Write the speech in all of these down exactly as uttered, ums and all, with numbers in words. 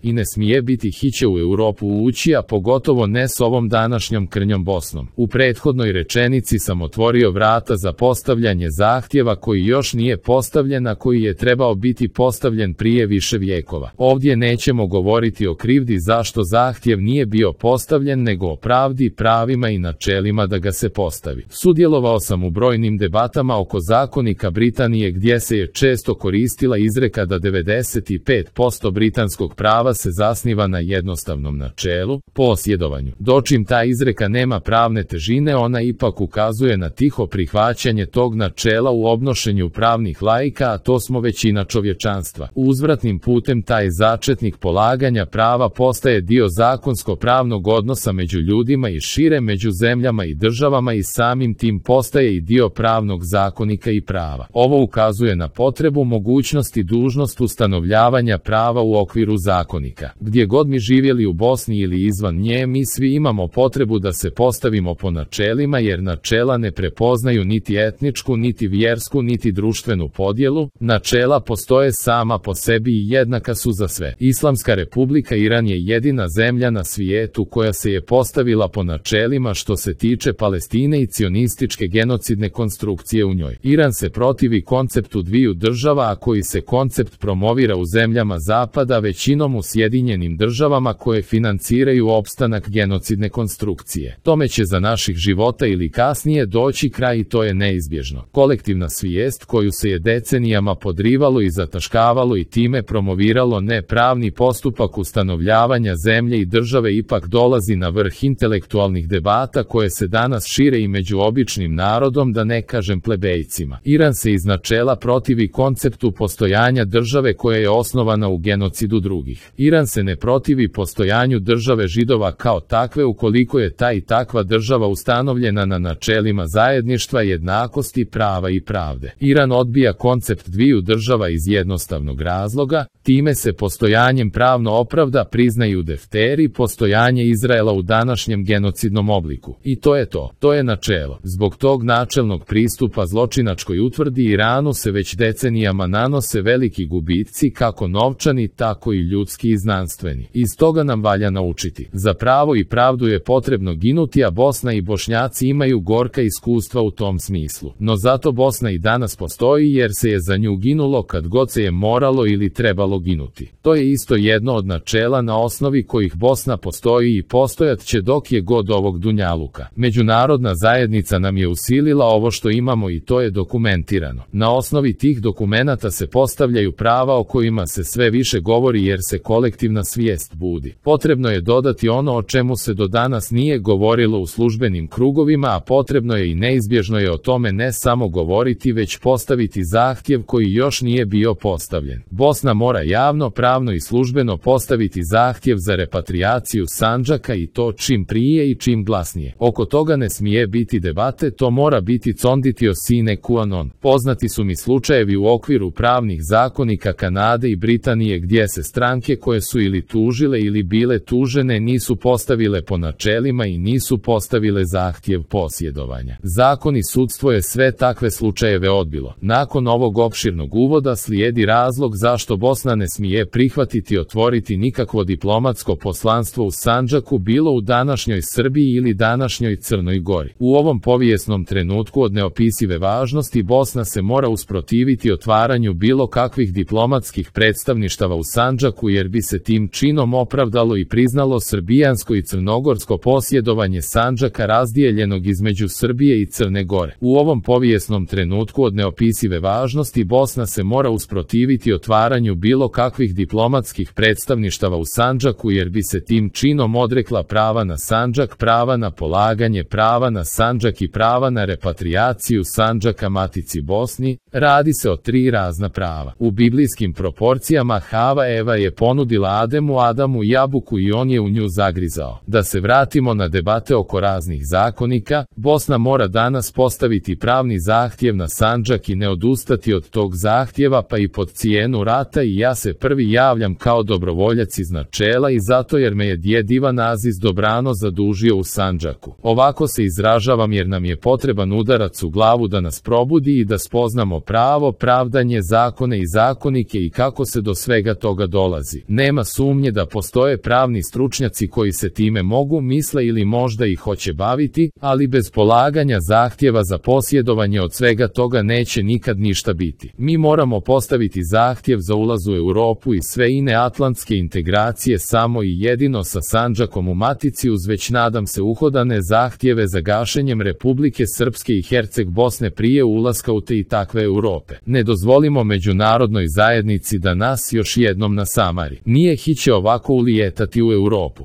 I ne smije biti hiće u Europu ući, a pogotovo ne s ovom današnjom krnjom Bosnom. U prethodnoj rečenici sam otvorio vrata za postavljanje zahtjeva koji još nije postavljen, a koji je trebao biti postavljen prije više vijekova. Ovdje nećemo govoriti o krivdi zašto zahtjev nije bio postavljen, nego o pravdi, pravima i načelima da ga se postavi. Sudjelovao sam u brojnim debatama oko zakonika Britanije gdje se je često koristila izreka da devedeset pet posto britanskog prava se zasniva na jednostavnom načelu, posjedovanju. Dočim ta izreka nema pravne težine, ona ipak ukazuje na tiho prihvaćanje tog načela u obnošenju pravnih laika, a to smo većina čovječanstva. Uzvratnim putem taj začetnik polaganja prava postaje dio zakonsko-pravnog odnosa među ljudima i šire među zemljama i državama i samim tim postaje i dio pravnog zakonika i prava. Ovo ukazuje na potrebu, mogućnost i dužnost ustanovljavanja prava u okviru zakonika. Gdje god mi živjeli u Bosni ili izvan nje, mi svi imamo potrebu da se postavimo po načelima, jer načela ne prepoznaju niti etničku, niti vjersku, niti društvenu podjelu. Načela postoje sama po sebi i jednaka su za sve. Islamska republika Iran je jedina zemlja na svijetu koja se je postavila po načelima što se tiče Palestine i cionističke genocidne konstrukcije u njoj. Iran se protivi konceptu dviju država, a koji se koncept promovira u zemljama zapada, većinom u Sjedinjenim državama koje financiraju opstanak genocidne konstrukcije. Tome će za naših života ili kasnije doći kraj i to je neizbježno. Kolektivna svijest koju se je decenijama podrivalo i zataškavalo i time promoviralo nepravni postupak ustanovljavanja zemlje i države ipak dolazi na vrh intelektualnih debata koje se danas šire i među običnim narodom, da ne kažem plebejcima. Iran se iz načela protivi konceptu postojanja države koja je osnovana u genocidu drugih. Iran se ne protivi postojanju države Židova kao takve ukoliko je ta i takva država ustanovljena na načelima zajedništva, jednakosti, prava i pravde. Iran odbija koncept dviju država iz jednostavnog razloga, time se postojanjem pravno opravda, priznaju defteri, postojanje Izraela u današnjem genocidnom obliku. I to je to. To je načelo. Zbog tog načelnog pristupa zločinačkoj utvrdi Iranu se već decenijama nanose veliki gubici, kako novčani, tako i ljudski i znanstveni. Iz toga nam valja naučiti. Za pravo i pravdu je potrebno ginuti, a Bosna i Bošnjaci imaju gorka iskustva u tom smislu. No zato Bosna i danas postoji jer se je za nju ginulo kad god se je moralo ili trebalo ginuti. To je isto jedno od načela na osnovi kojih Bosna postoji i postojat će dok je god ovog dunjaluka. Međunarodna zajednica nam je usilila ovo što imamo i to je dokumentirano. Na osnovi tih dokumenata se postavljaju prava o kojima se sve više govori jer se kolektivna svijest budi. Potrebno je dodati ono o čemu se do danas nije govorilo u službenim krugovima, a potrebno je i neizbježno je o tome ne samo govoriti, već postaviti zahtjev koji još nije bio postavljen. Bosna mora javno, pravno i službeno postaviti zahtjev za repatrijaciju Sandžaka i to čim prije i čim glasnije. Oko toga ne smije biti debate, to mora biti conditio sine qua non. Poznati su mi slučajevi u okviru pravnih zakonika Kanade i Britanije gdje se stranke koje su ili tužile ili bile tužene nisu postavile po načelima i nisu postavile zahtjev posjedovanja. Zakon i sudstvo je sve takve slučajeve odbilo. Nakon ovog opširnog uvoda slijedi razlog zašto Bosna ne smije prihvatiti otvoriti nikakvo diplomatsko poslanstvo u Sandžaku, bilo u današnjoj Srbiji ili današnjoj Crnoj Gori. U ovom povijesnom trenutku od neopisive važnosti Bosna se mora usprotiviti otvaranju bilo kakvih diplomatskih predstavništava u Sandžaku jer bi se tim činom opravdalo i priznalo srbijansko i crnogorsko posjedovanje Sandžaka razdijeljenog između Srbije i Crne Gore. U ovom povijesnom trenutku od neopisive važnosti Bosna se mora usprotiviti otvaranju bilo kakvih diplomatskih predstavništava u Sandžaku jer bi se tim činom odrekla prava na Sandžak, prava na polaganje prava na Sandžak i prava na repatrijaciju Sandžaka Matici Bosni. Radi se o tri razna prava. U biblijskim proporcijama Hava Eva je ponudila Ademu Adamu jabuku i on je u nju zagrizao. Da se vratimo na debate oko raznih zakonika, Bosna mora danas postaviti pravni zahtjev na Sandžak i ne odustati od tog zahtjeva pa i pod cijenu rata, i ja se prvi javljam kao dobrovoljac iz načela i zato jer me je djed Ivan Aziz dobrano zadužio u Sandžaku. Ovako se izražavam jer nam je potreban udarac u glavu da nas probudi i da spoznamo pravo, pravdanje, zakone i zakonike i kako se do svega toga dolazi. Nema sumnje da postoje pravni stručnjaci koji se time mogu, misle ili možda i hoće baviti, ali bez polaganja zahtjeva za posjedovanje od svega toga neće nikad ništa biti. Mi moramo postaviti zahtjev za ulaz u Europu i sve ine atlantske integracije samo i jedino sa Sandžakom u matici uz već nadam se uhodane zahtjeve za gašenjem Republike Srpske i Herceg Bosne prije ulaska u te i takve Europe. Ne dozvolimo međunarodnoj zajednici da nas još jednom nasamari. Nije hiće ovako ulijetati u Europu.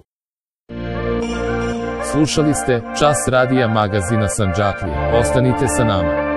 Slušali ste Čas radija magazina Sandžaklije. Ostanite sa nama.